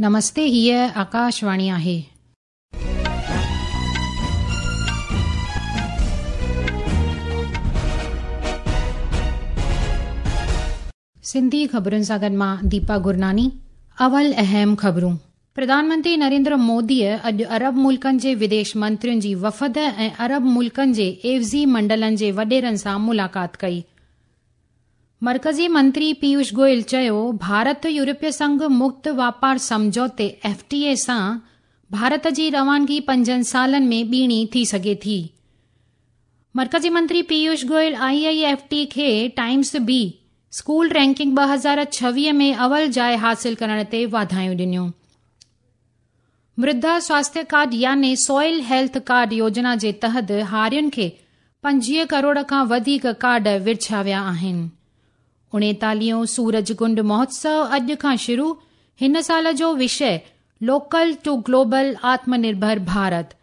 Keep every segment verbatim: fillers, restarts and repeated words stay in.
नमस्ते, हीअ आकाशवाणी आहे। सिंधी ख़बरुनि सां गॾु मां दीपा गुरनानी। अवल अहम ख़बरूं। प्रधानमंत्री नरेंद्र मोदीअ अॼु अरब मुल्कनि जे विदेश मंत्रियुनि जी वफ़द ऐं अरब मुल्कनि जे एवज़ी मंडलनि जे वॾेरनि सां मुलाक़ात कई। मर्कज़ी मंत्री पीयूष गोयल चयो, भारत यूरोपीय संघ मुक्त वापार सम्झौते एफ टी ए सां भारत जी रवानगी पंजनि सालनि में ॿीणी थी सघे थी। मर्कज़ी मंत्री Piyush Goyal I I F T खे टाइम्स बी स्कूल रैंकिंग ॿ हज़ार छवीह में अवल जाइ हासिल करण ते वाधायूं ॾिनियूं। मृदा स्वास्थ्य कार्ड यानी सॉइल हेल्थ कार्ड योजना जे तहत हारियुनि खे पंजवीह करोड़ खां वधीक कार्ड विरछिया विया आहिनि। उणेतालीहों सूरज कुंड महोत्सव अॼु खां शुरू। हिन साल जो विषय लोकल टू ग्लोबल आत्मनिर्भर भारत।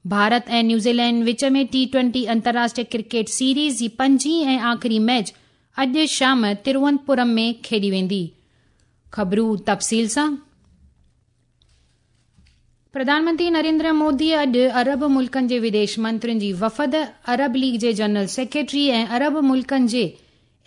भारत ऐं न्यूज़ीलैंड विच में टी ट्वेंटी अंतर्राष्ट्रीय क्रिकेट सीरीज़ जी पंजीं ऐं आख़िरी मैच अॼु शाम तिरुवनंतपुरम में खेॾी वेंदी। ख़बरूं तफ़सील सां। प्रधानमंत्री नरेंद्र मोदी अॼु अरब मुल्कनि जे विदेश मंत्रियुनि जी वफ़द, अरब लीग जे जनरल सेक्रेटरी ऐं अरब मुल्कनि जे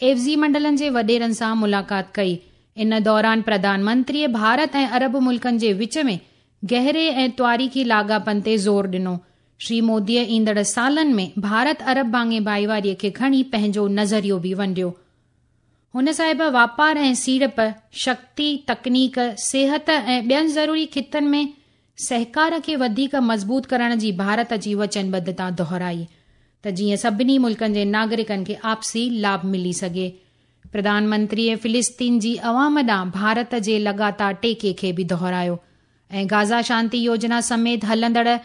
एवज़ी मंडलनि जे वॾेरनि सां मुलाक़ात कई। इन दौरान प्रधानमंत्रीअ भारत ऐं अरब मुल्कनि जे विच में गहरे ऐं तारीख़ी लाॻापनि ते ज़ोर ॾिनो। श्री मोदीअ ईंदड़ सालनि में भारत अरब भाङे भाईवारीअ खे खणी पंहिंजो नज़रियो बि वंडियो। हुन साहिब वापार ऐं सीड़प, शक्ति, तकनीक, सिहत ऐं ॿियनि ज़रूरी ख़ितनि में सहकार खे वधीक मज़बूत करण जी भारत जी वचनबद्धता दोहराई त जीअं सभिनी मुल्कनि जे नागरिकनि खे आपसी लाभ मिली सघे। प्रधानमंत्रीअ फ़िलिस्तीन जी अवाम ॾांहुं भारत जे लगातार टेके खे बि दोहरायो ऐं गाज़ा शांति योजना समेत हलंदड़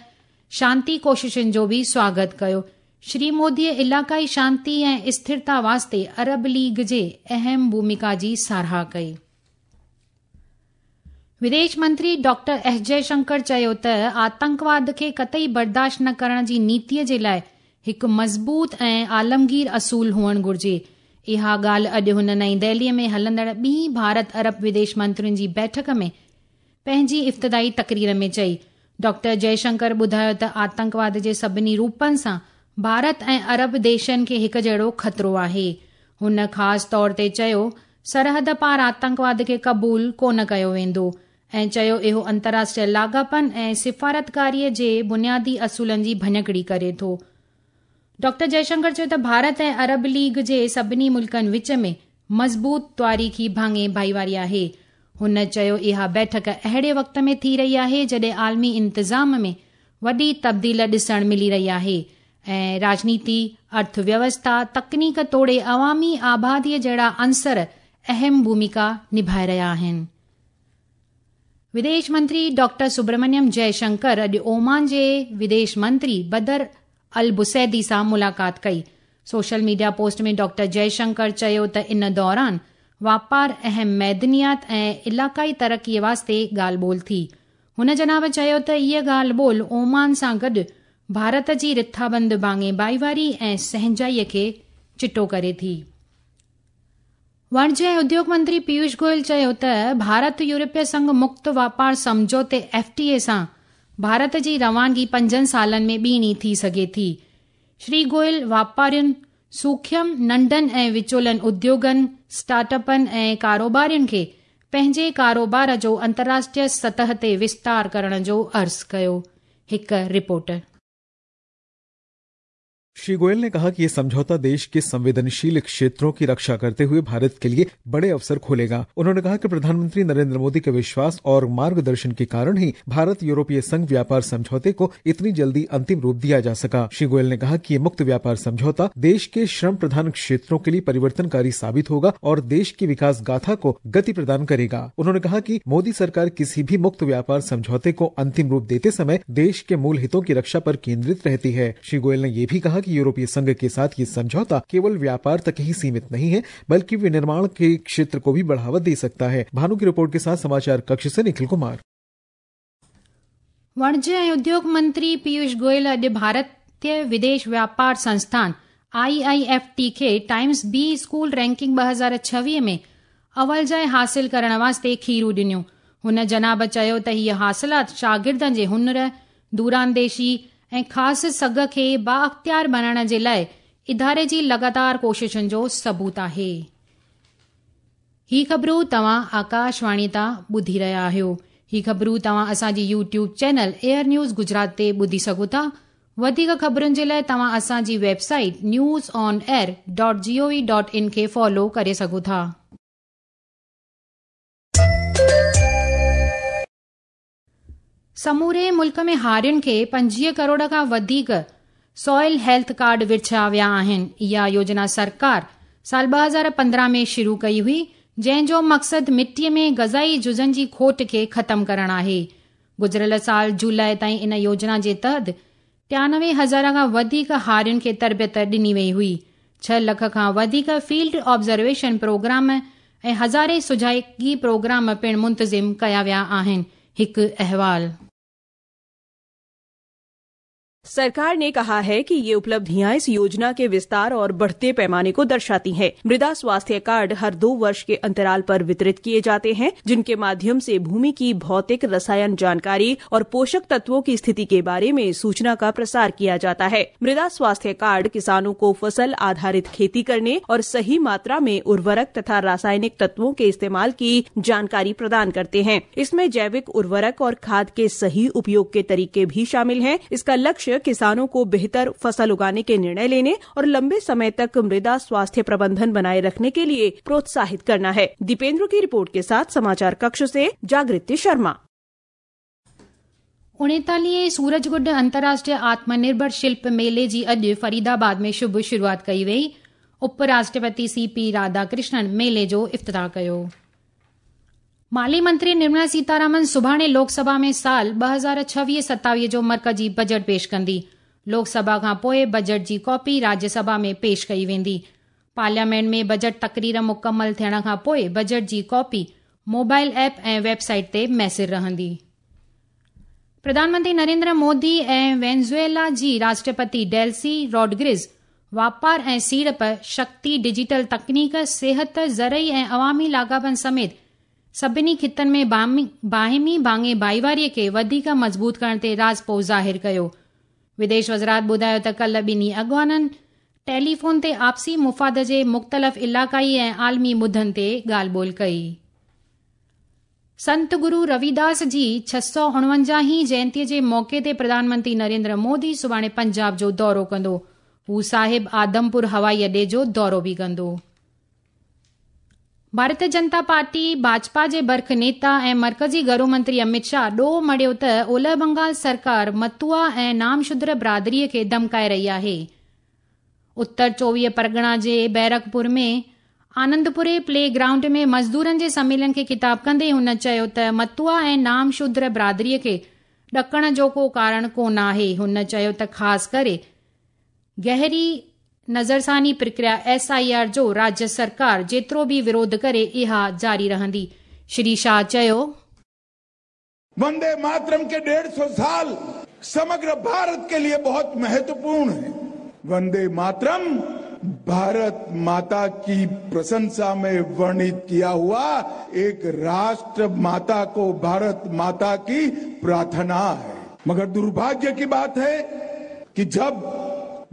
शांति कोशिशुनि जो बि स्वागत कयो। श्री मोदीअ इलाइक़ाई शांति ऐं स्थिरता वास्ते अरब लीग जे अहम भूमिका जी सराह कई। विदेश मंत्री डॉक्टर एस जयशंकर चयो त आतंकवाद खे कतई बर्दाश्त न करण जी नीतीअ जे लाइ हिकु मज़बूत ऐं आलमगीर असूल हुअणु घुर्जे। इहा ॻाल्हि अॼु हुन नई दिल्लीअ में हलंदड़ ॿी भारत अरब विदेश मंत्रियुनि जी बैठक में पंहिंजी इब्तिदाई तकरीर में चई। डॉक्टर जयशंकर ॿुधायो त आतंकवाद जे सभिनी रूपनि सां भारत ऐं अरब देशनि खे हिकु जहिड़ो ख़तरो आहे। हुन ख़ासि तौर ते चयो, सरहद पार आतंकवाद खे क़बूल कोन कयो वेंदो ऐं चयो इहो अंतर्राष्ट्रीय लाॻापनि ऐं सिफारतकारीअ जे बुनियादी असूलनि जी भञकड़ी करे थो। डॉक्टर जयशंकर चयो त भारत ऐं अरब लीग जे सभिनी मुल्कनि विच में मज़बूत तारीख़ी भाङे भाईवारी आहे। हुन चयो इहा बैठक अहिड़े वक़्त में थी रही आहे जॾहिं आलमी इंतिज़ाम में वॾी तब्दील ॾिसण मिली रही आहे ऐं राजनीति, अर्थव्यवस्था, तकनीक तोड़े अवामी आबादीअ जहिड़ा अंसर अहम भूमिका निभाए रहिया आहिनि। विदेश मंत्री डॉक्टर सुब्रमण्यम जयशंकर अॼु ओमान जे विदेश मंत्री बदर अल बुसैदी सां मुलाक़ात कई। सोशल मीडिया पोस्ट में डॉक्टर जयशंकर चयो त इन दौरान वापार, अहम मैदनियात ऐं इलाइक़ाई तरक़ीअ वास्ते ॻाल्हि ॿोल थी। हुन जनाब चयो त इहा ॻाल्हि ॿोल ओमान सां गॾु भारत जी रिथाबंद भाङे भाईवारी ऐं सहंजाईअ खे चिटो करे थी। वाणिज्य ऐं उद्योग मंत्री पीयूष गोयल चयो त भारत यूरोपीय संघ मुक्त वापार सम्झौते एफ टी ए सां भारत जी रवानगी पंजनि सालनि में ॿीणी थी सघे थी। श्री गोयल वापारियुनि, सूखम, नंढनि ऐं विचोलनि उद्योगनि, स्टार्टअपनि ऐं कारोबारियुनि खे पंहिंजे कारोबार जो अंतर्राष्ट्रीय सतह ते विस्तार करण जो अर्ज़ु कयो। हिकु रिपोर्ट। श्री गोयल ने कहा कि यह समझौता देश के संवेदनशील क्षेत्रों की रक्षा करते हुए भारत के लिए बड़े अवसर खोलेगा। उन्होंने कहा कि प्रधानमंत्री नरेंद्र मोदी के विश्वास और मार्गदर्शन के कारण ही भारत यूरोपीय संघ व्यापार समझौते को इतनी जल्दी अंतिम रूप दिया जा सका। श्री गोयल ने कहा कि ये मुक्त व्यापार समझौता देश के श्रम प्रधान क्षेत्रों के लिए परिवर्तनकारी साबित होगा और देश की विकास गाथा को गति प्रदान करेगा। उन्होंने कहा कि मोदी सरकार किसी भी मुक्त व्यापार समझौते को अंतिम रूप देते समय देश के मूल हितों की रक्षा पर केंद्रित रहती है। श्री गोयल ने ये भी कहा कि यूरोपीय संघ के साथ ये समझौता केवल व्यापार तक ही सीमित नहीं है, बल्कि विनिर्माण के क्षेत्र को भी बढ़ावा दे सकता है। भानु की रिपोर्ट के साथ समाचार कक्ष से निखिल कुमार। वाणिज्य ऐं उद्योग मंत्री पीयूष गोयल अॼु भारतीय विदेश व्यापार संस्थान I I F T खे टाइम्स बी स्कूल रैंकिंग ॿ हज़ार छवीह में अवल जाइ हासिल करण वास्ते खीरू ॾिनियूं। हुन जनाब चयो त हीअ हासिलात शागिर्दनि जे हुनर, दूरांदेशी ऐं ख़ासि सघ खे बाअख़्तियार बणाइण जे लाइ इदारे जी लगातार कोशिशुनि जो सबूत आहे। ही ख़बरूं तव्हां आकाशवाणी तां ॿुधी रहिया आहियो। ही ख़बरूं तव्हां असांजी YouTube channel Air News Gujarat ते ॿुधी सघो था। वधीक ख़बरुनि जे लाइ तव्हां असांजी website news on air dot G O V dot in खे फॉलो करे सघो था। समूरे मुल्क में हारियुनि खे पंजवीह करोड़ खां वधीक सॉइल हेल्थ कार्ड विछाया विया आहिनि। इहा योजना सरकार साल ॿ हज़ार पंद्रहं में शुरू कई हुई, जंहिंजो मक़सदु मिटीअ में ग़ज़ाई जुज़नि जी खोट खे ख़तमु करणु आहे। गुज़िरियल साल जुलाई ताईं इन योजना जे तहत टियानवे हज़ार खां वधीक हारियुनि खे तरबियत ॾिनी वई हुई। छह लख खां वधीक फील्ड ऑब्ज़र्वेशन प्रोग्राम ऐं हज़ारे सुझागी प्रोग्राम पिणु मुंतज़िम कया विया आहिनि। हिकु अहवाल। सरकार ने कहा है कि ये उपलब्धियां इस योजना के विस्तार और बढ़ते पैमाने को दर्शाती हैं। मृदा स्वास्थ्य कार्ड हर दो वर्ष के अंतराल पर वितरित किए जाते हैं, जिनके माध्यम से भूमि की भौतिक रसायन जानकारी और पोषक तत्वों की स्थिति के बारे में सूचना का प्रसार किया जाता है। मृदा स्वास्थ्य कार्ड किसानों को फसल आधारित खेती करने और सही मात्रा में उर्वरक तथा रासायनिक तत्वों के इस्तेमाल की जानकारी प्रदान करते हैं। इसमें जैविक उर्वरक और खाद के सही उपयोग के तरीके भी शामिल हैं। इसका लक्ष्य किसानों को बेहतर फसल उगाने के निर्णय लेने और लंबे समय तक मृदा स्वास्थ्य प्रबंधन बनाए रखने के लिए प्रोत्साहित करना है। दीपेंद्र की रिपोर्ट के साथ समाचार कक्ष से जागृति शर्मा। उणेतालीह सूरजगुड अंतर्राष्ट्रीय आत्मनिर्भर शिल्प मेले जी अॼु फरीदाबाद में शुभ शुरूआत कई वई। उपराष्ट्रपति सी पी राधाकृष्णन मेले जो इफ्तिताह कयो। माली मंत्री निर्मला सीतारामन सुभाणे लोकसभा में साल ॿ हज़ार छवीह सतावीह जो मर्कजी बजट पेश कंदी। लोकसभा खां पोइ बजट जी कॉपी राज्यसभा में पेश कई वेंदी। पार्लियामेंट में बजट तकरीर मुकमल थियण खां पोइ बजट जी कॉपी मोबाइल ऐप ऐं वेबसाइट ते मैसर रहंदी। प्रधानमंत्री नरेंद्र मोदी ऐं वेनेजुएला जी राष्ट्रपति डेल्सी रॉड्रिग्स वापार ऐं सीड़प, शक्ति, डिजिटल तकनीक, सिहत, ज़रई ऐं अवामी लाॻापनि समेत सभिनी खितनि में बाहिमी भाङे भाईवारीअ खे वधीक मज़बूत करण ते राज़पो ज़ाहिर कयो। विदेश वज़ारत ॿुधायो त कल्ह ॿिन्ही अॻवाननि टेलीफोन ते आपसी मुफ़ाद जे मुख़्तलिफ़ इलाक़ाई ऐं आलमी मुद्दनि ते ॻाल्हि ॿोल कई। संत गुरू रविदास जी छह सौ उणवंजाहीं जयंतीअ जे मौक़े ते प्रधानमंत्री नरेंद्र मोदी सुभाणे पंजाब जो दौरो कंदो। हू साहिब आदमपुर हवाई अॾे जो दौरो बि कंदो। भारतीय जनता पार्टी भाजपा जे बर्ख नेता ऐं मर्कज़ी घरू मंत्री अमित शाह ॾोह मढ़ियो त ओलह बंगाल सरकार मतुआ ऐं नामशूद्र बिरादरीअ खे धमकाए रही आहे। उत्तर चोवीह परगणा जे बैरकपुर में आनंदपुरे प्ले ग्राउंड में मज़दूरनि जे सम्मेलन खे खिताब कंदे हुन चयो त मतुआ ऐं नामशूद्र बिरादरीअ खे ॾकण जो को कारण कोन आहे। हुन चयो त ख़ासि करे गहरी नज़रसानी प्रक्रिया एस I R जो राज्य सरकार जेतिरो बि विरोध करे इहा जारी रहंदी। श्री शाह चयो, वंदे मातरम के डेढ़ सौ साल समग्र भारत के लिए बहुत महत्वपूर्ण है। वंदे मातरम भारत माता की प्रशंसा में वर्णित किया हुआ एक राष्ट्र माता को भारत माता की प्रार्थना है। मगर दुर्भाग्य की बात है कि जब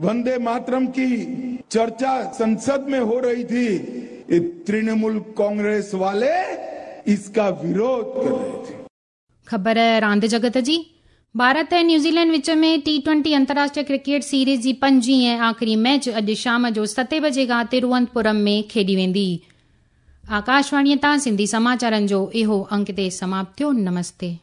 वंदे मातरम की चर्चा संसद में हो रही थी, ये तृणमूल कांग्रेस वाले इसका विरोध कर रहे थे। ख़बर रांदि जगत जी। भारत ऐं न्यूज़ीलैंड विच में टी ट्वेंटी अंतर्राष्ट्रीय क्रिकेट सीरीज़ जी पंजीं ऐं आख़िरी मैच अॼु शाम जो सते बजे खां तिरुवनंतपुरम में खेॾी वेंदी। आकाशवाणीअ तां सिंधी समाचारनि जो इहो अंक ते समाप्त थियो। नमस्ते।